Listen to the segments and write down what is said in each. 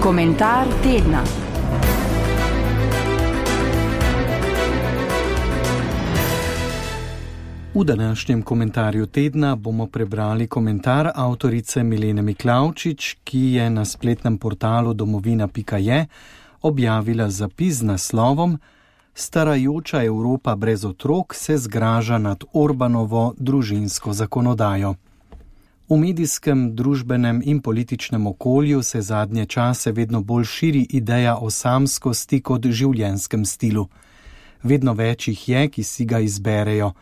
Komentar tedna. V današnjem komentarju tedna bomo prebrali komentar avtorice Milene Miklavčič, ki je na spletnem portalu domovina.je objavila zapis z naslovom Starajoča Evropa brez otrok se zgraža nad Orbanovo družinsko zakonodajo. V medijskem, družbenem in političnem okolju se zadnje čase vedno bolj širi ideja o samskosti kot življenjskem stilu. Vedno več jih je, ki si ga izberejo.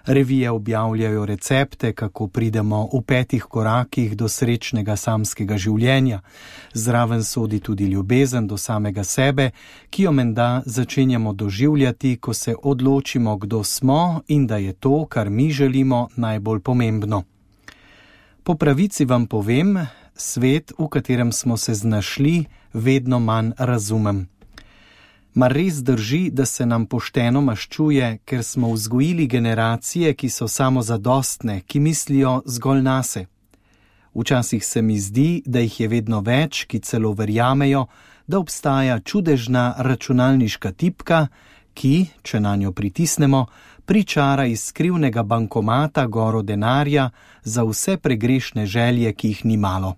Revije objavljajo recepte, kako pridemo v 5 korakih do srečnega samskega življenja. Zraven sodi tudi ljubezen do samega sebe, ki jo menda začenjamo doživljati, ko se odločimo, kdo smo in da je to, kar mi želimo, najbolj pomembno. Po pravici vam povem, svet, v katerem smo se znašli, vedno manj razumem. Mar res drži, da se nam pošteno maščuje, ker smo vzgojili generacije, ki so samozadostne, ki mislijo zgolj nase? Včasih se mi zdi, da jih je vedno več, ki celo verjamejo, da obstaja čudežna računalniška tipka, ki, če na njo pritisnemo, pričara iz skrivnega bankomata goro denarja za vse pregrešne želje, ki jih ni malo.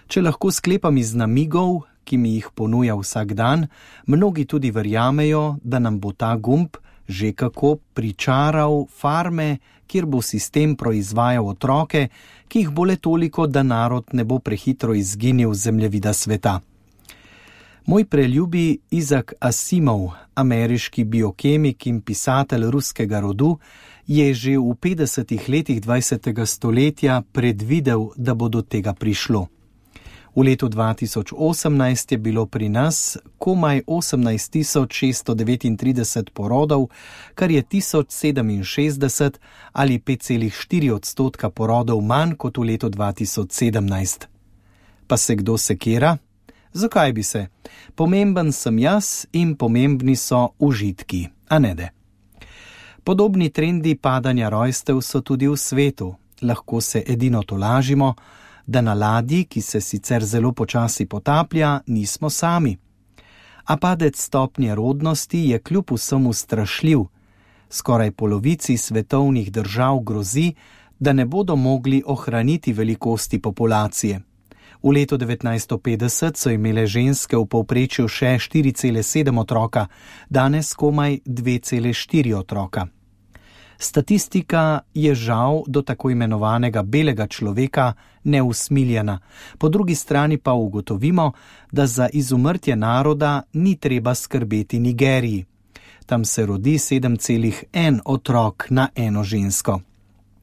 Če lahko sklepam iz namigov, ki mi jih ponuja vsak dan, mnogi tudi verjamejo, da nam bo ta gumb že kako pričaral farme, kjer bo sistem proizvajal otroke, ki jih bo le toliko, da narod ne bo prehitro izginil z zemljevida sveta. Moj preljubi Isaac Asimov, ameriški biokemik in pisatelj ruskega rodu, je že v 50. letih 20. stoletja predvidel, da bo do tega prišlo. V letu 2018 je bilo pri nas komaj 18.639 porodov, kar je 1067 ali 5,4% porodov manj kot v letu 2017. Pa se kdo sekira? Zakaj bi se? Pomemben sem jaz in pomembni so užitki, a ne de. Podobni trendi padanja rojstev so tudi v svetu. Lahko se edino tolažimo, da na ladji, ki se sicer zelo počasi potaplja, nismo sami. A padec stopnje rodnosti je kljub vsemu strašljiv. Skoraj polovici svetovnih držav grozi, da ne bodo mogli ohraniti velikosti populacije. V letu 1950 so imele ženske v povprečju še 4,7 otroka, danes komaj 2,4 otroka. Statistika je žal do tako imenovanega belega človeka neusmiljena. Po drugi strani pa ugotovimo, da za izumrtje naroda ni treba skrbeti Nigeriji. Tam se rodi 7,1 otrok na eno žensko.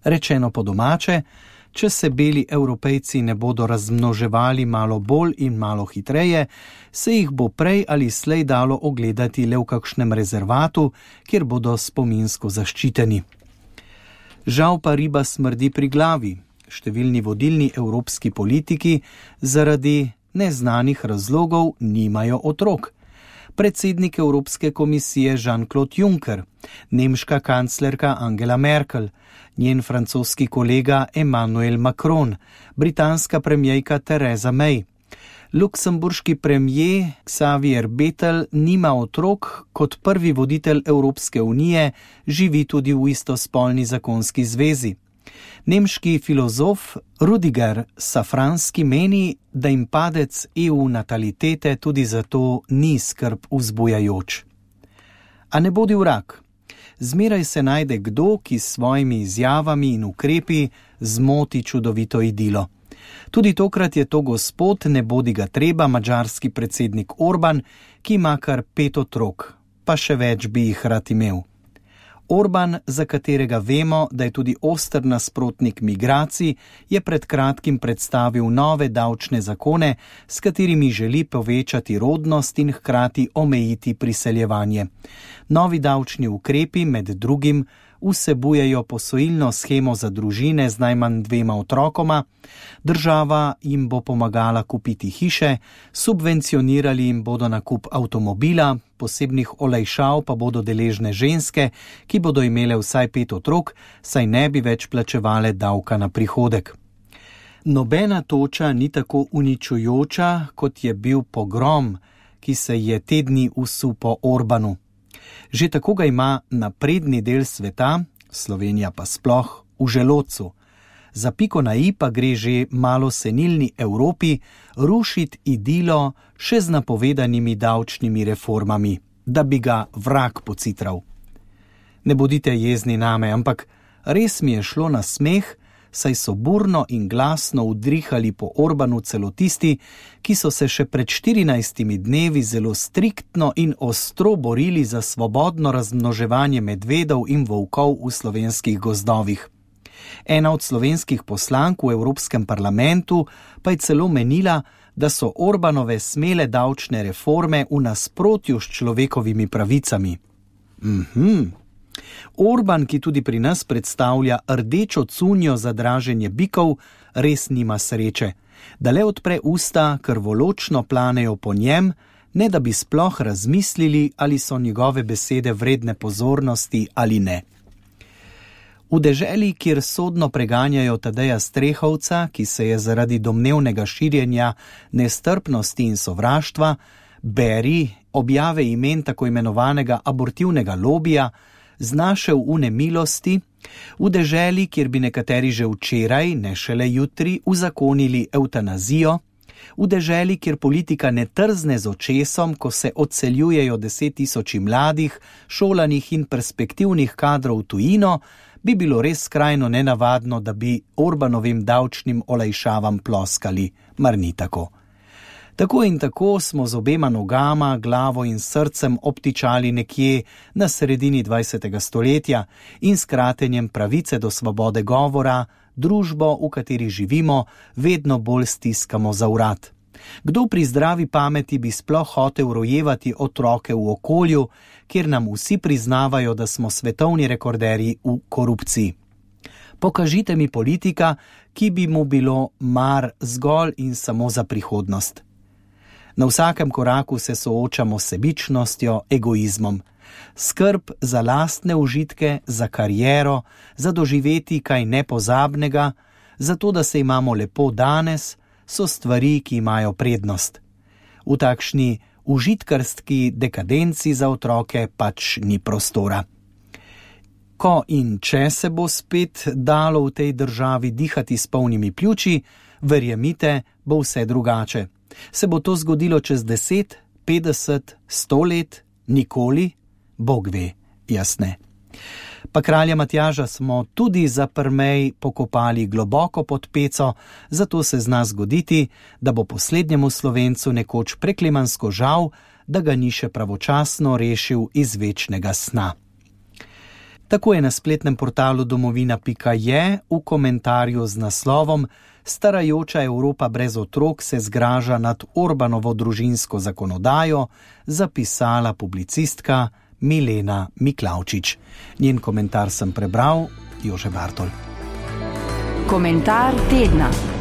Rečeno po domače, če se beli Evropejci ne bodo razmnoževali malo bolj in malo hitreje, se jih bo prej ali slej dalo ogledati le v kakšnem rezervatu, kjer bodo spominsko zaščiteni. Žal pa riba smrdi pri glavi. Številni vodilni evropski politiki zaradi neznanih razlogov nimajo otrok. Predsednik Evropske komisije Jean-Claude Juncker, nemška kanclerka Angela Merkel, njen francoski kolega Emmanuel Macron, britanska premierka Theresa May. Luksemburški premijer Xavier Bettel nima otrok, kot prvi voditelj Evropske unije živi tudi v istospolni zakonski zvezi. Nemški filozof Rüdiger Safranski meni, da jim padec EU natalitete tudi zato ni skrb vzbujajoč. A ne bodi vrag. Zmeraj se najde kdo, ki s svojimi izjavami in ukrepi zmoti čudovito idilo. Tudi tokrat je to gospod, ne bodi ga treba, madžarski predsednik Orban, ki ima kar 5 otrok, pa še več bi jih rad imel. Orban, za katerega vemo, da je tudi oster nasprotnik migracij, je pred kratkim predstavil nove davčne zakone, s katerimi želi povečati rodnost in hkrati omejiti priseljevanje. Novi davčni ukrepi med drugim vsebujejo posojilno shemo za družine z najmanj 2 otrokoma, država jim bo pomagala kupiti hiše, subvencionirali jim bodo nakup avtomobila, posebnih olajšav pa bodo deležne ženske, ki bodo imele vsaj 5 otrok, saj ne bi več plačevale davka na prihodek. Nobena toča ni tako uničujoča, kot je bil pogrom, ki se je te dni usul po Orbanu. Že tako ga ima napredni del sveta, Slovenija pa sploh, v želodcu. Za piko na i pa gre že malo senilni Evropi rušiti idilo še z napovedanimi davčnimi reformami, da bi ga vrag pocitral. Ne bodite jezni name, ampak res mi je šlo na smeh, saj so burno in glasno udrihali po Orbanu celo tisti, ki so se še pred 14 dnevi zelo striktno in ostro borili za svobodno razmnoževanje medvedov in volkov v slovenskih gozdovih. Ena od slovenskih poslank v Evropskem parlamentu pa je celo menila, da so Orbanove smele davčne reforme v nasprotju s človekovimi pravicami. Orban, ki tudi pri nas predstavlja rdečo cunjo za draženje bikov, res nima sreče. Da le odpre usta, krvoločno planejo po njem, ne da bi sploh razmislili, ali so njegove besede vredne pozornosti ali ne. V deželi, kjer sodno preganjajo Tadeja Strehovca, ki se je zaradi domnevnega širjenja nestrpnosti in sovraštva, beri objave imen tako imenovanega abortivnega lobija, znašel v nemilosti, v deželi, kjer bi nekateri že včeraj, ne šele jutri, uzakonili evtanazijo, v deželi, kjer politika ne trzne z očesom, ko se odseljujejo 10 000 mladih, šolanih in perspektivnih kadrov v tujino, bi bilo res skrajno nenavadno, da bi Orbanovim davčnim olajšavam ploskali, mar ni tako. Tako in tako smo z obema nogama, glavo in srcem obtičali nekje na sredini 20. stoletja in s kratenjem pravice do svobode govora, družbo, v kateri živimo, vedno bolj stiskamo za vrat. Kdo pri zdravi pameti bi sploh hotel rojevati otroke v okolju, kjer nam vsi priznavajo, da smo svetovni rekorderji v korupciji? Pokažite mi politika, ki bi mu bilo mar zgolj in samo za prihodnost. Na vsakem koraku se soočamo s sebičnostjo, egoizmom. Skrb za lastne užitke, za kariero, za doživeti kaj nepozabnega, za to, da se imamo lepo danes, so stvari, ki imajo prednost. V takšni užitkarski dekadenci za otroke pač ni prostora. Ko in če se bo spet dalo v tej državi dihati s polnimi pljuči, verjemite, bo vse drugače. Se bo to zgodilo čez 10, 50, 100 let, nikoli, Bog ve, jaz ne. Pa kralja Matjaža smo tudi za prmej pokopali globoko pod peco, zato se zna zgoditi, da bo poslednjemu Slovencu nekoč preklemansko žal, da ga ni še pravočasno rešil iz večnega sna. Tako je na spletnem portalu domovina.je v komentarju z naslovom Starajoča Evropa brez otrok se zgraža nad Orbanovo družinsko zakonodajo zapisala publicistka Milena Miklavčič. Njen komentar sem prebral, Jože Bartol. Komentar tedna.